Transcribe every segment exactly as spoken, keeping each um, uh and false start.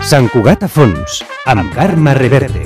Sant Cugat a fons, amb Carme Reverte.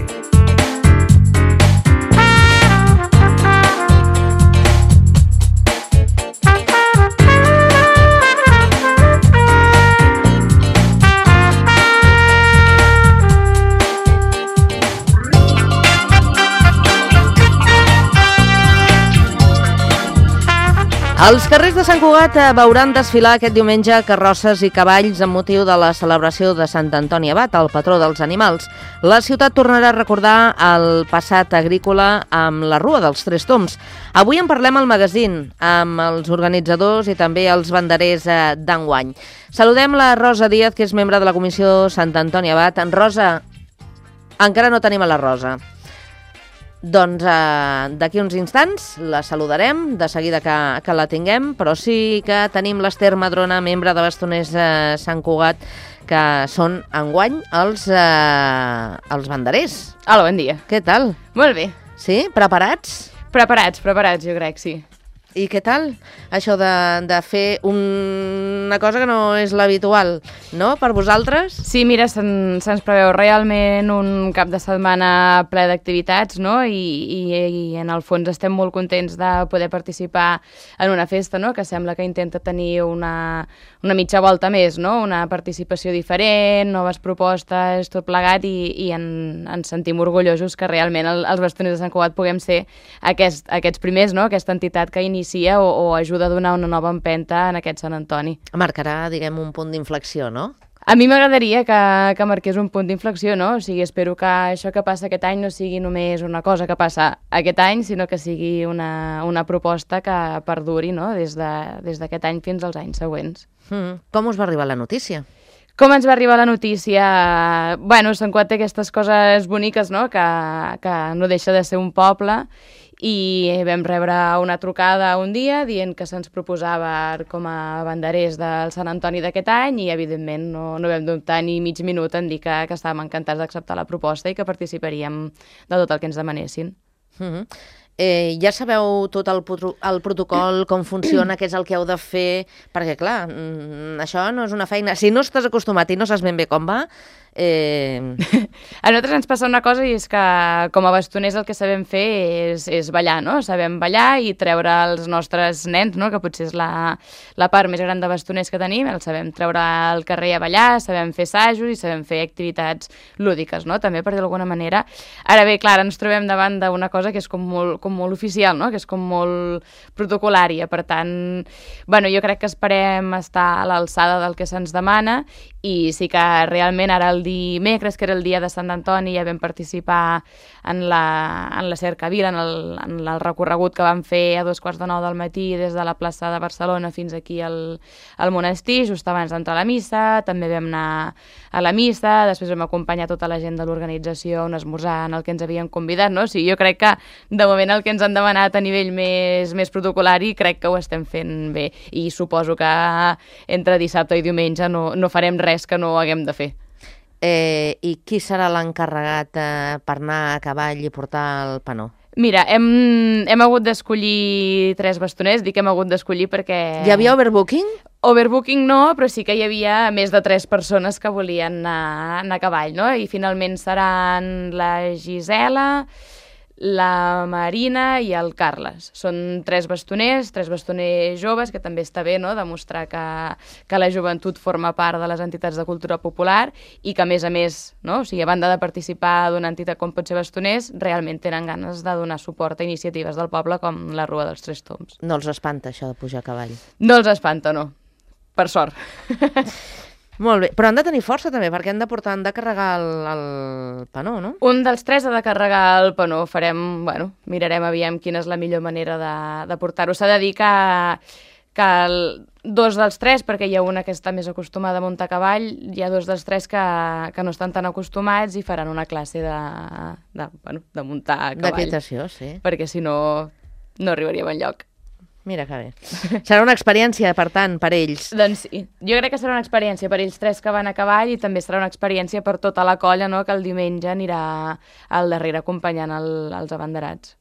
Els carrers de Sant Cugat veuran desfilar aquest diumenge carrosses i cavalls amb motiu de la celebració de Sant Antoni Abat, el patró dels animals. La ciutat tornarà a recordar el passat agrícola amb la Rua dels Tres Tombs. Avui en parlem al magazín amb els organitzadors i també els banderers d'enguany. Saludem la Rosa Díaz, que és membre de la Comissió Sant Antoni Abat. En Rosa, encara no tenim a la Rosa. Doncs eh, d'aquí uns instants la saludarem, de seguida que, que la tinguem, però sí que tenim l'Ester Madrona, membre de Bastoners eh, Sant Cugat, que són enguany els, eh, els banderers. Hola, bon dia. Què tal? Molt bé. Sí? Preparats? Preparats, preparats, jo crec, sí. I què tal això de, de fer un, una cosa que no és l'habitual, no?, per vosaltres? Sí, mira, se'n, se'ns preveu realment un cap de setmana ple d'activitats, no?, I, i, i en el fons estem molt contents de poder participar en una festa, no?, que sembla que intenta tenir una, una mitja volta més, no?, una participació diferent, noves propostes, tot plegat, i, i en, ens sentim orgullosos que realment el, els Bastoners de Sant Cugat puguem ser aquest, aquests primers, no?, aquesta entitat que inicia O, o ajuda a donar una nova empenta en aquest Sant Antoni. Marcarà, diguem, un punt d'inflexió, no? A mi m'agradaria que, que marqués un punt d'inflexió, no? O sigui, espero que això que passa aquest any no sigui només una cosa que passa aquest any, sinó que sigui una, una proposta que perduri, no?, des de, des d'aquest any fins als anys següents. Mm. Com us va arribar la notícia? Com ens va arribar la notícia? Bueno, Sant Cugat té aquestes coses boniques, no?, que, que no deixa de ser un poble, i vam rebre una trucada un dia dient que se'ns proposava com a banderers del Sant Antoni d'aquest any i, evidentment, no, no vam dubtar ni mig minut en dir que, que estàvem encantats d'acceptar la proposta i que participaríem de tot el que ens demanessin. Mm-hmm. Eh, ja sabeu tot el, el protocol, com funciona, què és el que heu de fer, perquè, clar, això no és una feina. Si no estàs acostumat i no saps ben bé com va, Eh... a nosaltres ens passa una cosa, i és que com a bastoners el que sabem fer és, és ballar, no? Sabem ballar i treure els nostres nens, no?, que potser és la, la part més gran de bastoners que tenim, el sabem treure al carrer a ballar, sabem fer assajos i sabem fer activitats lúdiques, no?, també, per dir d'alguna manera. Ara bé, clar, ens trobem davant d'una cosa que és com molt, com molt oficial, no?, que és com molt protocolària, per tant, bueno, jo crec que esperem estar a l'alçada del que se'ns demana, i sí que realment ara el dimecres, que era el dia de Sant Antoni, ja vam participar en la, en la cercavila, en el, en el recorregut que vam fer a dos quarts de nou del matí des de la plaça de Barcelona fins aquí al, al monestir, just abans d'entrar a la missa. També vam anar a la missa, després vam acompanyar tota la gent de l'organització a un esmorzar en el que ens havien convidat, no? O sigui, jo crec que de moment el que ens han demanat a nivell més, més protocolari crec que ho estem fent bé, i suposo que entre dissabte i diumenge no, no farem res que no haguem de fer. Eh, I qui serà l'encarregat eh, per anar a cavall i portar el panó? Mira, hem, hem hagut d'escollir tres bastoners, dic que hem hagut d'escollir perquè... Hi havia overbooking? Overbooking no, però sí que hi havia més de tres persones que volien anar, anar a cavall, no? I finalment seran la Gisela, la Marina i el Carles. Són tres bastoners, tres bastoners joves, que també està bé, no?, demostrar que, que la joventut forma part de les entitats de cultura popular i que, a més a més, no?, o sigui, a banda de participar d'una entitat com pot ser Bastoners, realment tenen ganes de donar suport a iniciatives del poble com la Rua dels Tres Tombs. No els espanta això de pujar a cavall? No els espanta, no. Per sort. Molt bé, però han de tenir força també, perquè han de portar, han de carregar el, el panó, no? Un dels tres ha de carregar el panó. Farem, bueno, mirarem aviam quina és la millor manera de, de portar-ho. S'ha de dir que, que el, dos dels tres, perquè hi ha una que està més acostumada a muntar a cavall, hi ha dos dels tres que, que no estan tan acostumats i faran una classe de, de, bueno, de muntar a cavall. D'equitació, sí. Perquè si no, no arribaríem enlloc. Mira que bé. Serà una experiència, per tant, per ells. Doncs sí. Jo crec que serà una experiència per ells tres que van a cavall, i també serà una experiència per tota la colla, no?, que el diumenge anirà al darrere acompanyant el, els abanderats.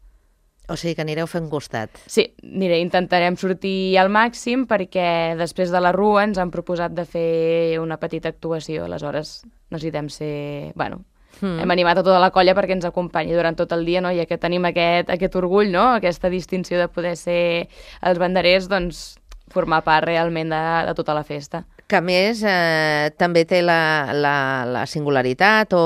O sigui que anireu fent costat. Sí, aniré, intentarem sortir al màxim, perquè després de la Rua ens han proposat de fer una petita actuació, aleshores necessitem ser... Bueno, Mm. hem animat a tota la colla perquè ens acompanyi durant tot el dia, no? I que tenim aquest, aquest orgull, no? Aquesta distinció de poder ser els banderers, doncs formar part realment de, de tota la festa. Que a més eh, també té la, la, la singularitat o,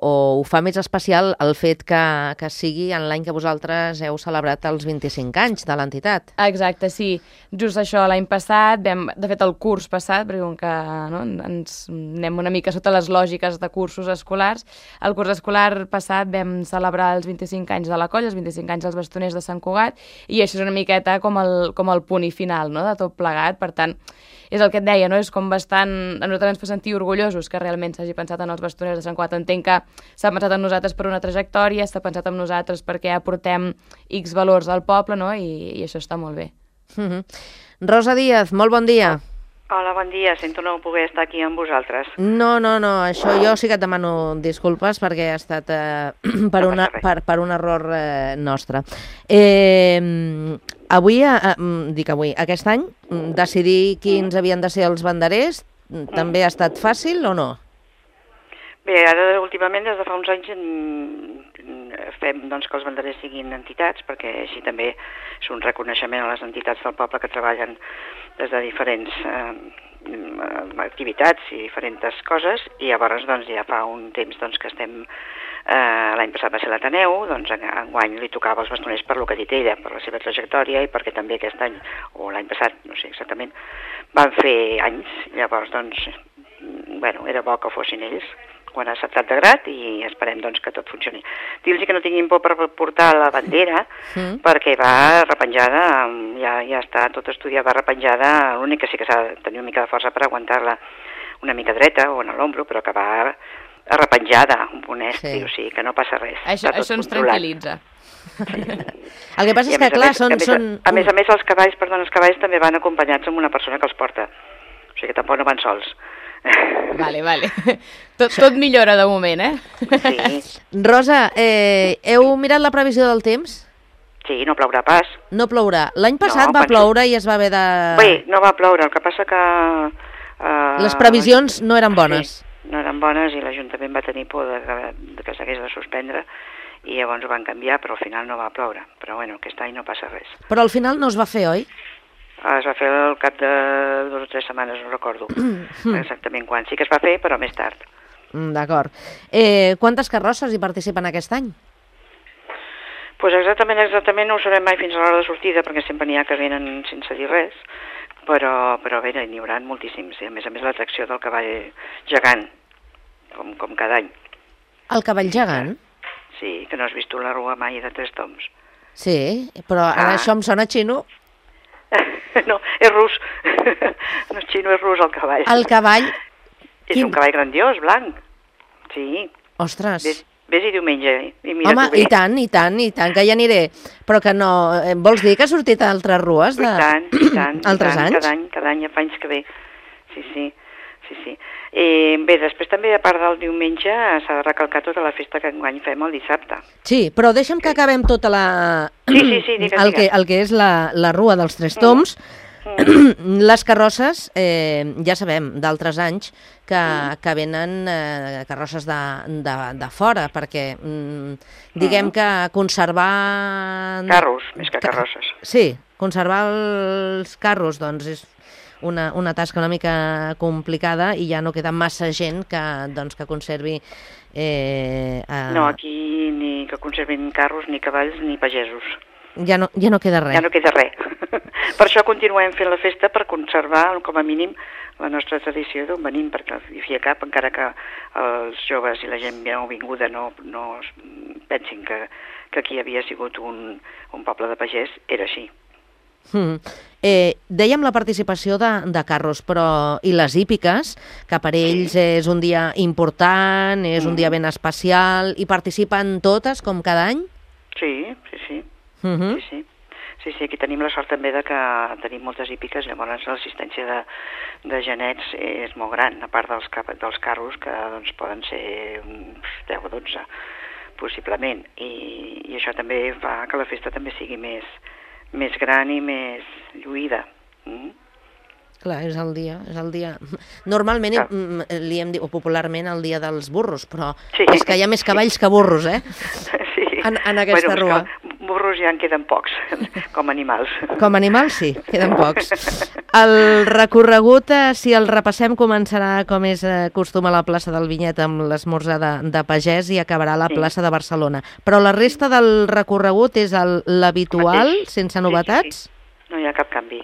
o ho fa més especial el fet que, que sigui en l'any que vosaltres heu celebrat els vint-i-cinc anys de l'entitat. Exacte, sí. Just això, l'any passat, vam, de fet el curs passat, perquè com que no, ens anem una mica sota les lògiques de cursos escolars, el curs escolar passat vam celebrar els vint-i-cinc anys de la colla, els vint-i-cinc anys dels bastoners de Sant Cugat, i això és una miqueta com el, com el punt i final, no?, de tot plegat. Per tant, és el que et deia, no? És com bastant... A nosaltres ens fa sentir orgullosos que realment s'hagi pensat en els bastoners de Sant Cugat. Entenc que s'ha pensat en nosaltres per una trajectòria, s'ha pensat en nosaltres perquè aportem X valors al poble, no? I, i això està molt bé. Mm-hmm. Rosa Díaz, molt bon dia. Hola, bon dia. Sento no poder estar aquí amb vosaltres. No, no, no, això jo sí que et demano disculpes perquè ha estat eh, per, No una, passa res. per, per un error eh, nostre. Eh, avui, eh, dic avui, aquest any, decidir quins havien de ser els banderers també ha estat fàcil o no? Bé, ara últimament, des de fa uns anys, mm, fem doncs, que els banderers siguin entitats, perquè així també és un reconeixement a les entitats del poble que treballen des de diferents eh, activitats i diferents coses, i llavors doncs, ja fa un temps doncs, que estem... Eh, l'any passat va ser l'Ateneu, doncs enguany li tocava als bastoners per lo que ha dit ella, per la seva trajectòria i perquè també aquest any, o l'any passat, no sé exactament, van fer anys, llavors doncs, bueno, era bo que fossin ells quan ha acceptat de grat i esperem doncs, que tot funcioni. Dir-los que no tinguin por per portar la bandera, mm. perquè va repenjada, ja, ja està tot estudiat, va repenjada, l'únic que sí que s'ha de tenir una mica de força per aguantar-la una mica dreta o en l'ombro, però que va arrepenjada, un punt estri, sí. O sigui que no passa res. Això, això ens tranquil·litza. Sí. El que passa és que, clar, són... A més, són... a més a més, els cavalls, perdó, els cavalls també van acompanyats amb una persona que els porta. O sigui que tampoc no van sols. Vale, vale. Tot, tot millora de moment, eh? Sí. Rosa, eh, heu mirat la previsió del temps? Sí, no plourà pas. No plourà. L'any passat No, va penso- ploure i es va haver de... Bé, no va ploure, el que passa que... Uh, Les previsions no eren bones. Sí, no eren bones i l'Ajuntament va tenir por de que, de que s'hagués de suspendre i llavors ho van canviar, però al final no va ploure. Però bueno, aquest any no passa res. Però al final no es va fer, oi? Ah, es va fer al cap de dues o tres setmanes, no recordo exactament quan. Sí que es va fer, però més tard. Mm, D'acord. Eh, quantes carrosses hi participen aquest any? Pues exactament, exactament no ho sabem mai fins a l'hora de sortida, perquè sempre n'hi ha que venen sense dir res, però, però bé, n'hi haurà moltíssims. I a més a més l'atracció del cavall gegant, com, com cada any. El cavall gegant? Sí, que no has vist la rua mai de tres toms. Sí, però ara Ah. això em sona xino. No, és rus. No és xino, és rus el cavall. El cavall... És quin- un cavall grandiós, blanc. Sí, Ostres... ves, ves-hi diumenge eh? I mira Home, tu bé. i tant, i tant, i tant, que hi aniré. Però que no... eh, Vols dir que ha sortit a altres rues de... I tant, i tant. i altres tant, anys? Cada any, cada any, ja fa anys que ve. Sí, sí. Sí, sí. Eh, bé, després també, a part del diumenge, s'ha de recalcar tota la festa que enguany fem el dissabte. Sí, però deixa'm que acabem tota la... Sí, sí, sí, digues, el, que, digues. el que és la, la rua dels Tres Toms. Les carrosses, eh, ja sabem d'altres anys que, que venen eh, carrosses de, de, de fora, perquè mm, diguem que conservar... Carros, més que carrosses. Sí, conservar els carros doncs és una, una tasca una mica complicada i ja no queda massa gent que, doncs, que conservi... Eh, eh, No, aquí ni que conservin carros, ni cavalls, ni pagesos. ja, no, ja no queda res. Ja no queda res. Per això continuem fent la festa, per conservar, com a mínim, la nostra tradició d'on venim, perquè hi fia cap, encara que els joves i la gent nou vinguda no, no es pensin que, que aquí havia sigut un, un poble de pagès, era així. Mm. Eh, dèiem la participació de, de carros, però i les hípiques, que per ells és un dia important, és un dia ben especial, i participen totes, com cada any? Sí, sí, sí. Mm -hmm. Sí, sí. Sí, sí, aquí tenim la sort també de que tenim moltes hípiques, llavors l'assistència de, de genets és molt gran, a part dels, cap, dels carros, que doncs, poden ser uns deu o dotze, possiblement. I, i això també fa que la festa també sigui més, més gran i més lluïda. Mm? Clar, és el dia, és el dia... Normalment Clar. mm, li hem dit, o popularment, el dia dels burros, però Sí. és que hi ha més cavalls que burros, eh? Sí. En, en aquesta bueno, rua. Burros ja en queden pocs, com animals. Com a animals, sí, queden pocs. El recorregut, eh, si el repassem, començarà, com és eh, costum, a la plaça del Vinyet amb l'esmorzar de, de pagès i acabarà a la Sí. plaça de Barcelona. Però la resta del recorregut és el- l'habitual, Mateix. sense Sí, novetats? Sí, sí. No hi ha cap canvi,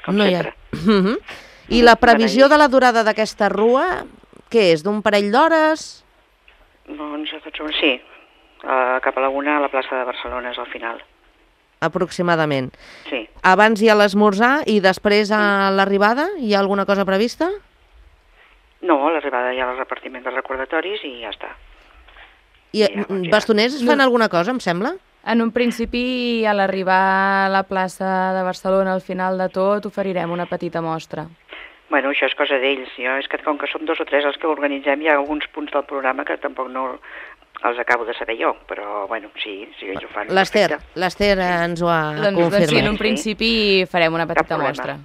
com No hi sempre. ha. Mhm. I la previsió de la durada d'aquesta rua, què és, d'un parell d'hores? Doncs, sí, uh, cap a la una a la plaça de Barcelona és al final. Aproximadament. Sí. Abans hi ha l'esmorzar i després a l'arribada hi ha alguna cosa prevista? No, a l'arribada hi ha el repartiment de recordatoris i ja està. I Ja, doncs ja. bastoners fan alguna cosa, em sembla? En un principi, a l'arribar a la plaça de Barcelona, al final de tot, oferirem una petita mostra. Bueno, això és cosa d'ells. Jo, és que com que som dos o tres els que organitzem, hi ha alguns punts del programa que tampoc no els acabo de saber jo, però, bueno, sí, sí, ells ho fan. L'Ester, perfecte. l'Ester ens ho ha Doncs, doncs sí, en confirmat. un principi farem una petita problema. mostra.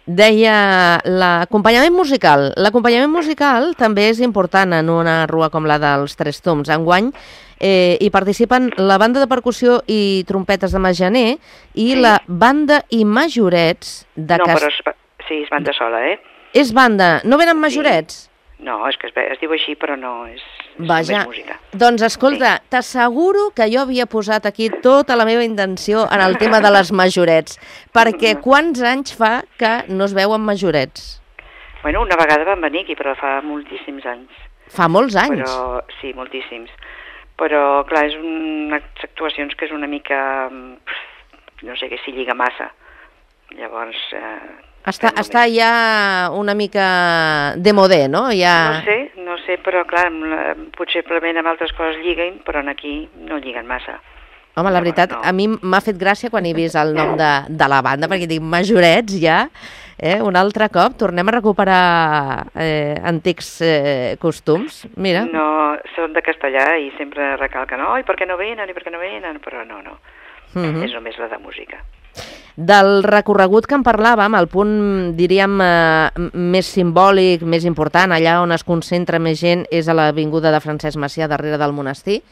Deia l'acompanyament musical. L'acompanyament musical també és important en una rua com la dels Tres Tombs. Enguany eh, hi participen la banda de percussió i trompetes de Majaner i Sí. la banda i majorets de No, Cas... però és, sí, és banda sola, eh? És banda, no venen majorets? No, és que es, ve- es diu així, però no, és, és Vaja, només música. doncs escolta, t'asseguro que jo havia posat aquí tota la meva intenció en el tema de les majorets, perquè quants anys fa que no es veuen majorets? Bueno, una vegada van venir aquí, però fa moltíssims anys. Fa molts anys. Però, sí, moltíssims. Però, clar, és unes actuacions que és una mica... pf, no sé, que s'hi lliga massa. Llavors... Eh, Està, fem està només- ja una mica de modé, no? Ja... No sé, no sé, però clar, amb la- potser probablement amb altres coses lliguen, però en aquí no lliguen massa. Home, la Llavors, veritat, no. a mi m'ha fet gràcia quan he vist el nom de, de la banda, perquè dic, majorets ja, eh? Un altre cop, tornem a recuperar eh, antics eh, costums. Mira, No, són de castellà i sempre recalquen, oi, per què no venen, i per què no venen, però no, no, Mhm. és només la de música. Del recorregut que en parlàvem, el punt, diríem, eh, m- més simbòlic, més important, allà on es concentra més gent, és a l'Avinguda de Francesc Macià, darrere del monestir,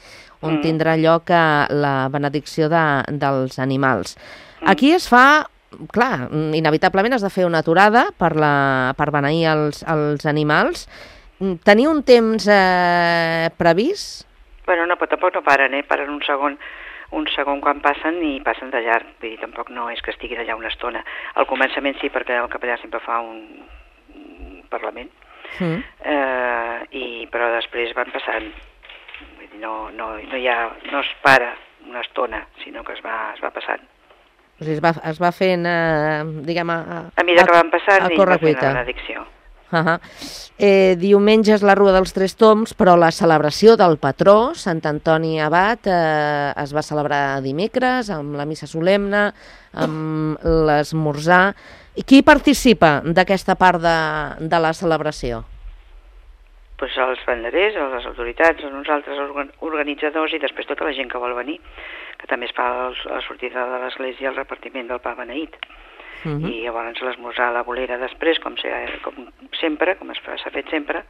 on Mm. tindrà lloc eh, la benedicció de, dels animals. Mm. Aquí es fa, clar, inevitablement has de fer una aturada per, la, per beneir els, els animals. Mm, Teniu un temps eh, previst? Bueno, no, però tampoc no paren, eh? Paren un segon, un segon quan passen i passen de llarg. Vull dir, tampoc no és que estiguin allà una estona. Al començament sí, perquè el capellà sempre fa un, un parlament, Mm. eh, i, però després van passant. Vull dir, no, no, no, hi ha, no es para una estona, sinó que es va, es va passant. O sigui, es va, es va fent, eh, diguem, a, A mesura que van passant, a ell va fent correcuita. la benedicció. Uh -huh. eh, diumenge és la Rua dels Tres Tombs, però la celebració del patró, Sant Antoni Abat, eh, es va celebrar dimecres, amb la missa solemne, amb l'esmorzar. I qui participa d'aquesta part de, de la celebració? Pues els banderers, les autoritats, nosaltres organ organitzadors i després tota la gent que vol venir, que també es fa el, la sortida de l'església el repartiment del pa beneït. Uh -huh. I llavors l'esmorzar a la bolera després, com, se, com sempre, com s'ha fet sempre,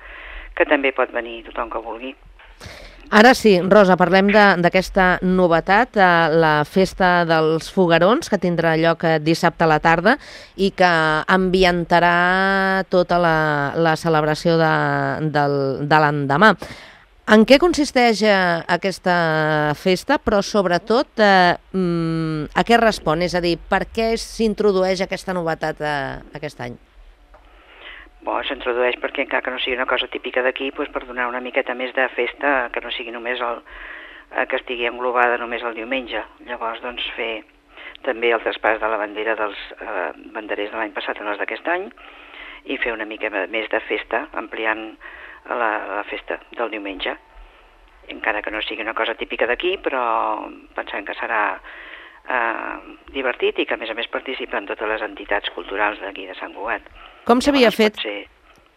que també pot venir tothom que vulgui. Ara sí, Rosa, parlem d'aquesta novetat, eh, la festa dels foguerons, que tindrà lloc eh, dissabte a la tarda i que ambientarà tota la, la celebració de, del, de l'endemà. En què consisteix eh, aquesta festa, però sobretot eh, mm, a què respon? És a dir, per què s'introdueix aquesta novetat eh, aquest any? Bon, s'introdueix perquè encara que no sigui una cosa típica d'aquí, doncs per donar una miqueta més de festa, que no sigui només el, eh, que estigui englobada només el diumenge. Llavors, doncs, fer també el traspàs de la bandera dels eh, banderers de l'any passat en els d'aquest any i fer una mica més de festa, ampliant la, la festa del diumenge. Encara que no sigui una cosa típica d'aquí, però pensant que serà eh, divertit i que a més a més participen totes les entitats culturals d'aquí de Sant Cugat. Com s'havia Llavors, fet, pot ser-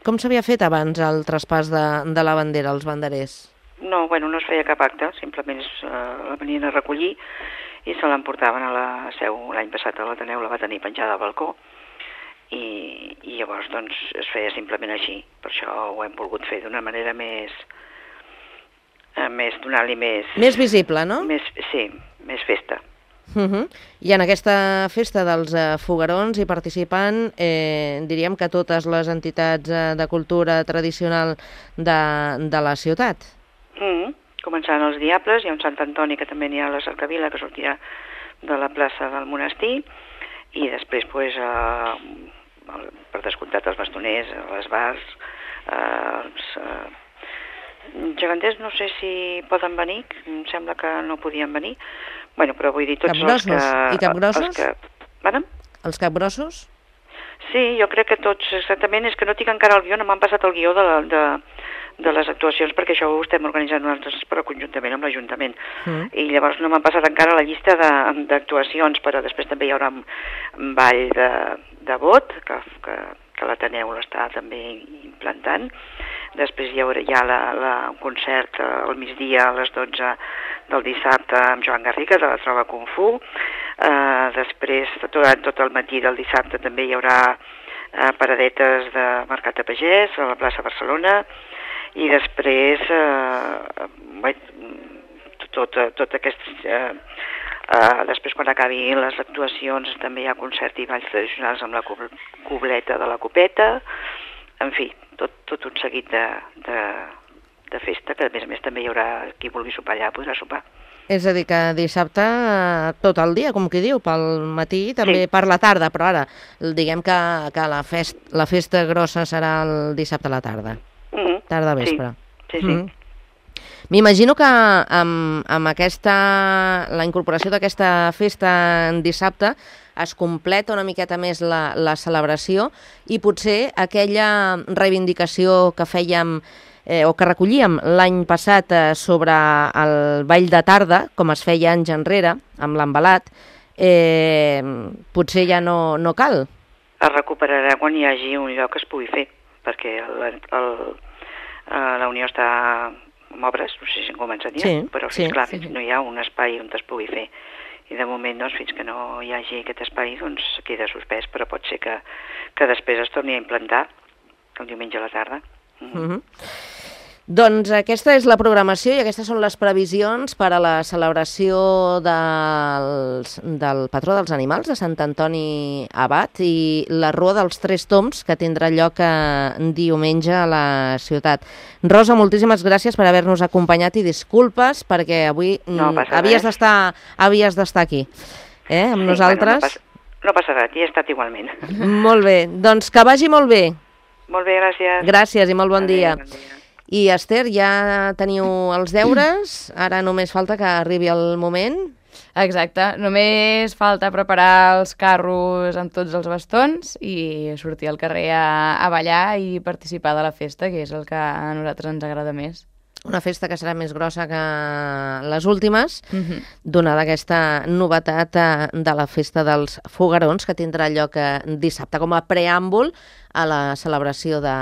com s'havia fet abans el traspàs de, de la bandera als banderers? No, bueno, no es feia cap acte, simplement es, eh, la venien a recollir i se l'emportaven a la seu. L'any passat a l'Ateneu la va tenir penjada al balcó i, i llavors doncs es feia simplement així. Per això ho hem volgut fer d'una manera més, eh, més donar-li més... Més visible, no? Més, sí, més festa. Uh -huh. I en aquesta festa dels eh, foguerons hi participen, eh, diríem que totes les entitats eh, de cultura tradicional de, de la ciutat. Mm, començant els Diables, hi ha un Sant Antoni que també n'hi ha a la Cercavila, que sortirà de la plaça del monestir, i després, pues, eh, el, per descomptat, els bastoners, les bars, eh, els eh, geganters no sé si poden venir, em sembla que no podien venir, bueno, però vull dir tots els que... I capgrossos? Els que... Bueno? Els capgrossos? Sí, jo crec que tots, exactament, és que no tinc encara el guió, no m'han passat el guió de, la, de, de les actuacions, perquè això ho estem organitzant nosaltres, però conjuntament amb l'Ajuntament. Mm. I llavors no m'han passat encara la llista d'actuacions, però després també hi haurà un ball de, de vot, que, que, que l'Ateneu l'està també implantant. Després hi haurà ja la, la, un concert al migdia a les dotze del dissabte amb Joan Garriga, de la Trova Kung Fu. Uh, després, tot, tot el matí del dissabte també hi haurà uh, paradetes de Mercat de Pagès a la plaça Barcelona, i després uh, tot, tot, tot aquest... Uh, uh, després, quan acabin les actuacions, també hi ha concert i balls tradicionals amb la cobleta de la copeta, en fi, tot, tot un seguit de, de, de festa, que a més a més també hi haurà qui vulgui sopar allà, podrà sopar. És a dir, que dissabte tot el dia, com qui diu, pel matí, també sí. Per la tarda, però ara diguem que, que la, fest, la festa grossa serà el dissabte a la tarda, mm-hmm. tarda vespre. Sí, sí, sí. Mm-hmm. M'imagino que amb, amb aquesta, la incorporació d'aquesta festa en dissabte es completa una miqueta més la, la celebració, i potser aquella reivindicació que fèiem eh, o que recollíem l'any passat eh, sobre el ball de tarda, com es feia anys enrere, amb l'embalat, eh, potser ja no, no cal. Es recuperarà quan hi hagi un lloc que es pugui fer, perquè el, el, la Unió està en obres, no sé si han començat ja, sí, però fins sí, clar, sí. fins no hi ha un espai on es pugui fer. I de moment, doncs, fins que no hi hagi aquest espai, doncs queda suspès, però pot ser que, que després es torni a implantar el diumenge a la tarda. Mm. Mm-hmm. Doncs aquesta és la programació i aquestes són les previsions per a la celebració dels, del patró dels animals, de Sant Antoni Abat, i la Rua dels Tres Tombs, que tindrà lloc diumenge a la ciutat. Rosa, moltíssimes gràcies per haver-nos acompanyat i disculpes perquè avui no havies d'estar havies d'estar aquí, eh, amb sí, nosaltres. Bueno, no, passa, no passa res, hi he estat igualment. Molt bé, doncs que vagi molt bé. Molt bé, gràcies. Gràcies i molt bon Adéu, dia. bon dia. I Esther, ja teniu els deures, ara només falta que arribi el moment. Exacte, només falta preparar els carros amb tots els bastons i sortir al carrer a, a ballar i participar de la festa, que és el que a nosaltres ens agrada més. Una festa que serà més grossa que les últimes, Mm-hmm. donada aquesta novetat de la festa dels foguerons, que tindrà lloc dissabte com a preàmbul a la celebració de,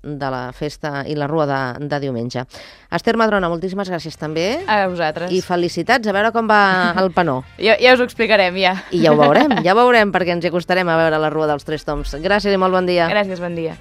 de la festa i la rua de, de diumenge. Esther Madrona, moltíssimes gràcies també. A vosaltres. I felicitats, a veure com va el penó. ja, ja us ho explicarem, ja. I ja ho veurem, ja ho veurem, perquè ens hi acostarem a veure la Rua dels Tres Tombs. Gràcies i molt bon dia. Gràcies, bon dia.